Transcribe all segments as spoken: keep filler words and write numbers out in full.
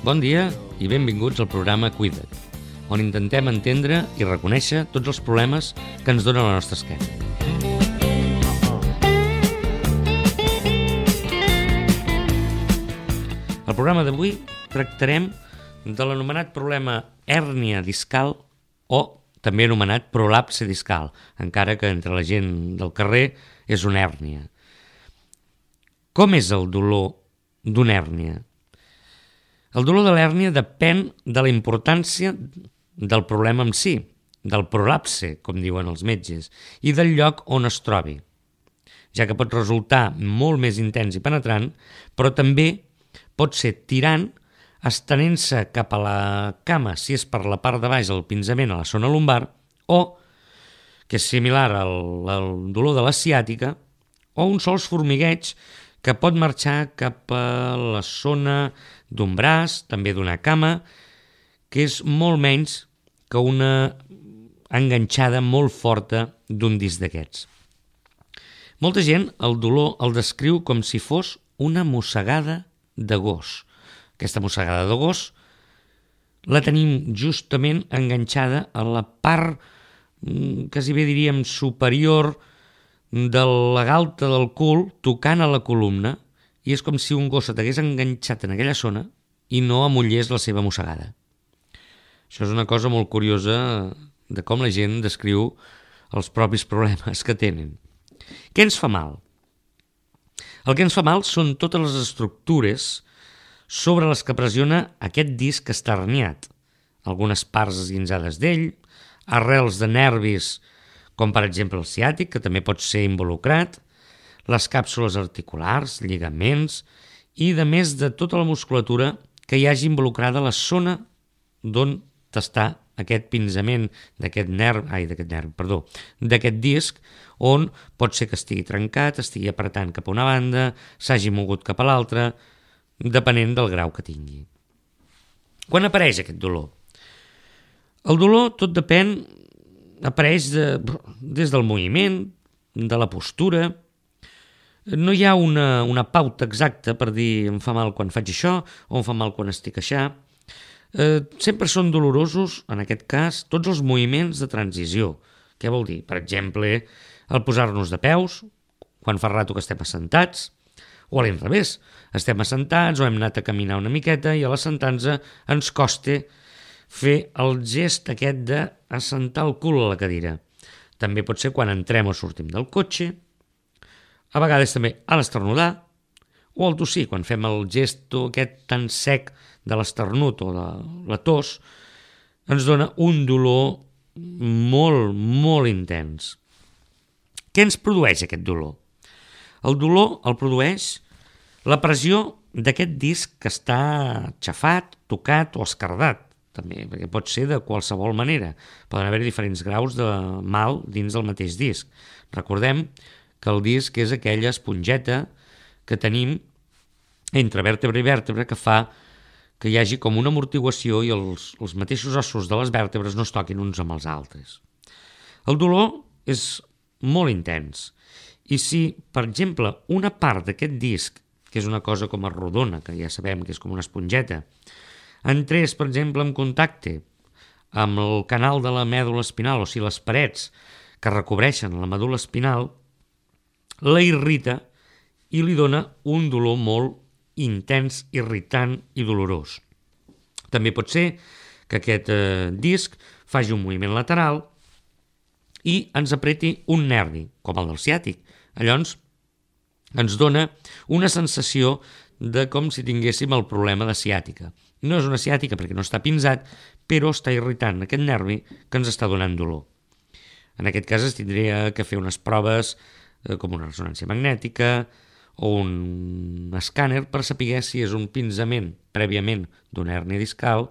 Bon dia i benvinguts al programa Cuida't, on intentem entendre i reconèixer tots els problemes que ens dona la nostra esquena. Al programa d'avui tractarem de l'anomenat problema hèrnia discal o també anomenat prolapse discal, encara que entre la gent del carrer és una hèrnia. Com és el dolor d'una hèrnia? El dolor de l'hèrnia depèn de la importància del problema en si, del prolapse, com diuen els metges, i del lloc on es trobi, ja que pot resultar molt més intens i penetrant, però també pot ser tirant, estenent-se cap a la cama, si és per la part de baix, el pinzament a la zona lumbar, o, que és similar al, al dolor de la ciàtica, o un sols formigueig que pot marxar cap a la zona d'un braç, també d'una cama, que és molt menys que una enganxada molt forta d'un disc d'aquests. Molta gent el dolor el descriu com si fos una mossegada de gos. Aquesta mossegada de gos la tenim justament enganxada a la part, quasi bé diríem, superior de la galta del cul, tocant a la columna, i és com si un gos t'hagués enganxat en aquella zona i no amollés la seva mossegada. Això és una cosa molt curiosa de com la gent descriu els propis problemes que tenen. Què ens fa mal? El que ens fa mal són totes les estructures sobre les que pressiona aquest disc que està herniat. Algunes parts esguinzades d'ell, arrels de nervis, com per exemple el ciàtic, que també pot ser involucrat, les càpsules articulars, lligaments i de més de tota la musculatura que hi hagi involucrada la zona d'on està aquest pinzament d'aquest nerv, ai, d'aquest nerv, perdó, d'aquest disc, on pot ser que estigui trencat, estigui apretant cap a una banda, s'hagi mogut cap a l'altra, depenent del grau que tingui. Quan apareix aquest dolor? El dolor tot depèn, apareix de, des del moviment, de la postura. No hi ha una, una pauta exacta per dir em fa mal quan faig això o em fa mal quan estic aixà. Eh, sempre són dolorosos, en aquest cas, tots els moviments de transició. Què vol dir? Per exemple, el posar-nos de peus, quan fa rato que estem assentats, o a l'inrevés, estem assentats o hem anat a caminar una miqueta i a l'assentar-nos ens costa fer el gest aquest d'assentar el cul a la cadira. També pot ser quan entrem o sortim del cotxe, a vegades també a l'esternudar o al tossir, quan fem el gest aquest tan sec de l'esternut o de la tos, ens dona un dolor molt, molt intens. Què ens produeix aquest dolor? El dolor el produeix la pressió d'aquest disc que està xafat, tocat o escardat, també, perquè pot ser de qualsevol manera. Poden haver diferents graus de mal dins del mateix disc. Recordem que el disc és aquella esponjeta que tenim entre vèrtebra i vèrtebra que fa que hi hagi com una amortiguació i els, els mateixos ossos de les vèrtebres no es toquin uns amb els altres. El dolor és molt intens i si, per exemple, una part d'aquest disc, que és una cosa com a rodona, que ja sabem que és com una esponjeta, entrés, per exemple, en contacte amb el canal de la mèdula espinal, o sigui, les parets que recobreixen la medul·la espinal, la irrita i li dona un dolor molt intens, irritant i dolorós. També pot ser que aquest eh, disc faci un moviment lateral i ens apreti un nervi, com el del ciàtic. Llavors ens dona una sensació de com si tinguéssim el problema de ciàtica. No és una ciàtica perquè no està pinzat, però està irritant aquest nervi que ens està donant dolor. En aquest cas es tindria que fer unes proves eh, com una ressonància magnètica o un escàner per saber si és un pinzament prèviament d'una hèrnia discal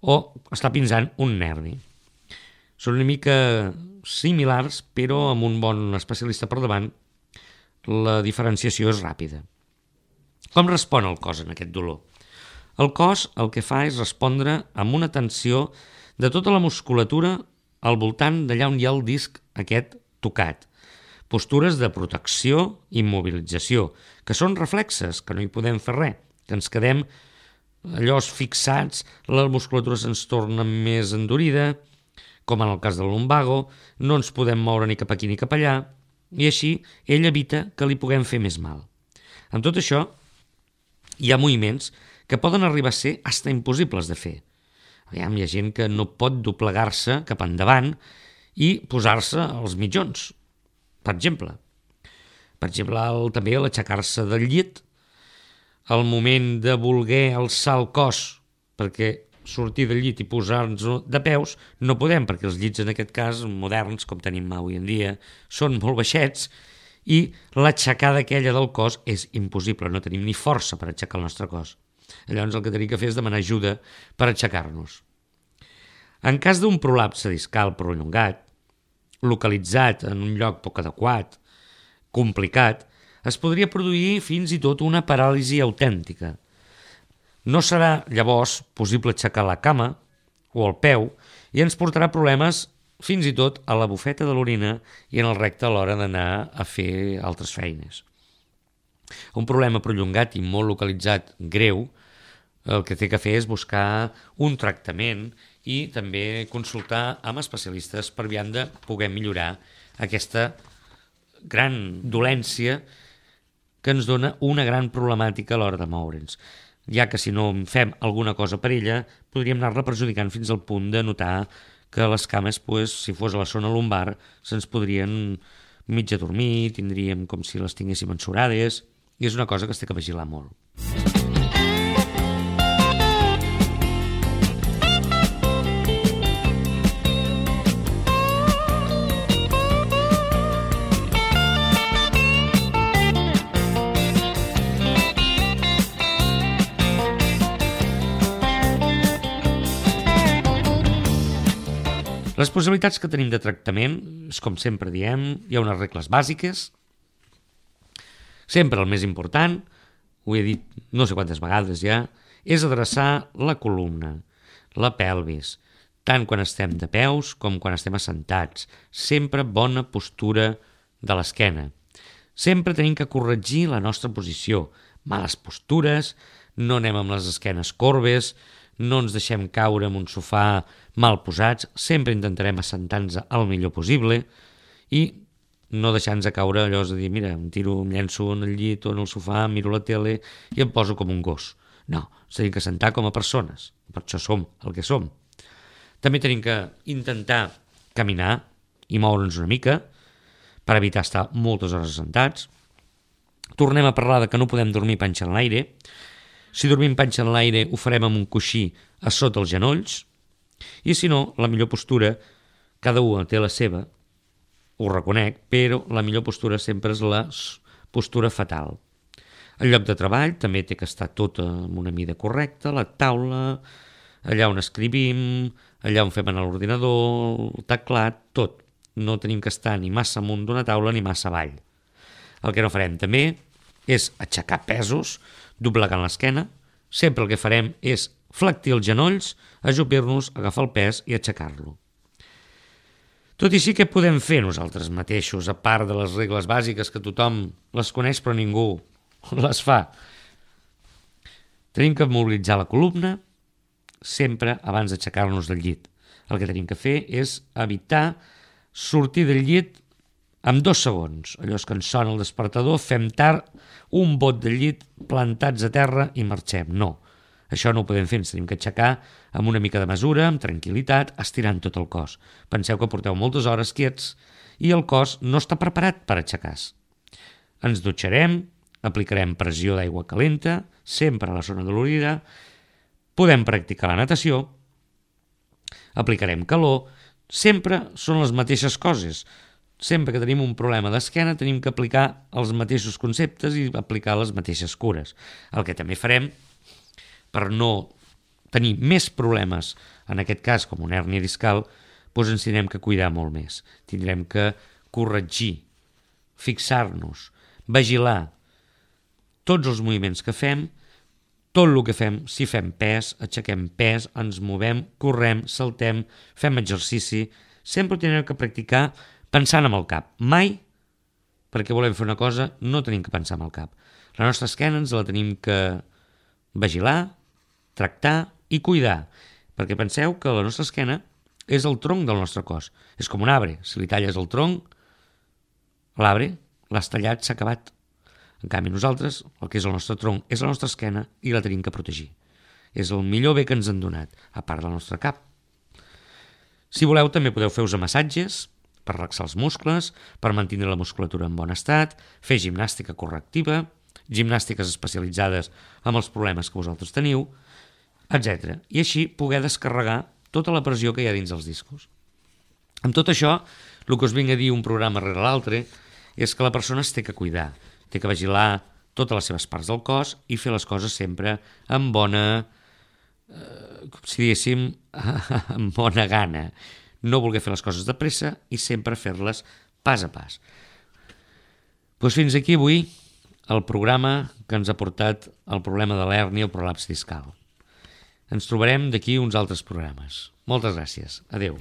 o està pinzant un nervi. Són una mica similars, però amb un bon especialista per davant la diferenciació és ràpida. Com respon el cos en aquest dolor? El cos el que fa és respondre amb una tensió de tota la musculatura al voltant d'allà on hi ha el disc aquest tocat. Postures de protecció i immobilització, que són reflexes, que no hi podem fer res, que ens quedem allò fixats, la musculatura se'ns torna més endurida, com en el cas del lumbago, no ens podem moure ni cap aquí ni cap allà, i així ell evita que li puguem fer més mal. Amb tot això, hi ha moviments que poden arribar a ser hasta impossibles de fer. Aviam, hi ha gent que no pot doblegar-se cap endavant i posar-se als mitjons, per exemple. Per exemple, el, també l'aixecar-se del llit, el moment de voler alçar el cos perquè sortir del llit i posar-nos de peus, no podem, perquè els llits en aquest cas moderns, com tenim avui en dia, són molt baixets i l'aixecada aquella del cos és impossible, no tenim ni força per aixecar el nostre cos. Llavors el que tenim que fer és demanar ajuda per aixecar-nos. En cas d'un prolapse discal prolongat, localitzat en un lloc poc adequat, complicat, es podria produir fins i tot una paràlisi autèntica. No serà llavors possible aixecar la cama o el peu i ens portarà problemes fins i tot a la bufeta de l'orina i en el recte a l'hora d'anar a fer altres feines. Un problema prolongat i molt localitzat greu, el que té que fer és buscar un tractament i també consultar amb especialistes per aviam de poder millorar aquesta gran dolència que ens dona una gran problemàtica a l'hora de moure'ns, ja que si no fem alguna cosa per ella podríem anar-la perjudicant fins al punt de notar que les cames, pues, si fos a la zona lumbar, se'ns podrien mig adormir, tindríem com si les tinguéssim ensorades, i és una cosa que es té que vigilar molt. Les possibilitats que tenim de tractament, és com sempre diem, hi ha unes regles bàsiques. Sempre el més important, ho he dit no sé quantes vegades ja, és adreçar la columna, la pelvis, tant quan estem de peus com quan estem assentats. Sempre bona postura de l'esquena. Sempre tenim que corregir la nostra posició. Males postures, no anem amb les esquenes corbes, no ens deixem caure en un sofà mal posats, sempre intentarem assentar-nos el millor possible i no deixar-nos caure allò de dir, mira, em tiro, em llenço en el llit o en el sofà, miro la tele i em poso com un gos. No, ens tenim que assentar com a persones, per això som el que som. També tenim que intentar caminar i moure'ns una mica per evitar estar moltes hores assentats. Tornem a parlar de que no podem dormir panxa en l'aire. Si dormim panxa en l'aire ho farem amb un coixí a sota els genolls i si no, la millor postura, cada un té la seva, ho reconec, però la millor postura sempre és la postura fetal. El lloc de treball també té que estar tot amb una mida correcta, la taula, allà on escrivim, allà on fem en l'ordinador, el teclat, tot. No tenim que estar ni massa amunt d'una taula ni massa avall. El que no farem també és aixecar pesos, doblegant l'esquena. Sempre el que farem és flectir els genolls, ajupir-nos, agafar el pes i aixecar-lo. Tot i així, què podem fer nosaltres mateixos, a part de les regles bàsiques que tothom les coneix però ningú les fa? Tenim que mobilitzar la columna sempre abans d'aixecar-nos del llit. El que tenim que fer és evitar sortir del llit amb dos segons. Allò és que ens sona el despertador, fem tard, un bot del llit, plantats a terra i marxem. No, això no ho podem fer, ens tenim que aixecar amb una mica de mesura, amb tranquil·litat, estirant tot el cos. Penseu que porteu moltes hores quiets i el cos no està preparat per aixecar-se. Ens dutxarem, aplicarem pressió d'aigua calenta, sempre a la zona dolorida, podem practicar la natació, aplicarem calor, sempre són les mateixes coses. Sempre que tenim un problema d'esquena tenim que aplicar els mateixos conceptes i aplicar les mateixes cures. El que també farem, per no tenir més problemes, en aquest cas com una hèrnia discal, doncs ens tindrem que cuidar molt més. Tindrem que corregir, fixar-nos, vigilar tots els moviments que fem, tot el que fem, si fem pes, aixequem pes, ens movem, correm, saltem, fem exercici, sempre ho tindrem que practicar pensant amb el cap. Mai, perquè volem fer una cosa, no tenim que pensar amb el cap. La nostra esquena ens la tenim que vigilar, tractar i cuidar, perquè penseu que la nostra esquena és el tronc del nostre cos. És com un arbre. Si li talles el tronc, l'arbre l'has tallat, s'ha acabat. En canvi, nosaltres, el que és el nostre tronc, és la nostra esquena i la tenim que protegir. És el millor bé que ens han donat, a part del nostre cap. Si voleu, també podeu fer-vos massatges per relaxar els muscles, per mantenir la musculatura en bon estat, fer gimnàstica correctiva, gimnàstiques especialitzades amb els problemes que vosaltres teniu, etcètera. I així poder descarregar tota la pressió que hi ha dins els discos. Amb tot això, el que us vinc a dir un programa rere l'altre és que la persona es té que cuidar, té que vigilar totes les seves parts del cos i fer les coses sempre amb bona, eh, com si diguéssim, amb bona gana. No voler fer les coses de pressa i sempre fer-les pas a pas. Doncs fins aquí avui el programa que ens ha portat el problema de l'hèrnia o prolaps discal. Ens trobarem d'aquí uns altres programes. Moltes gràcies. Adéu.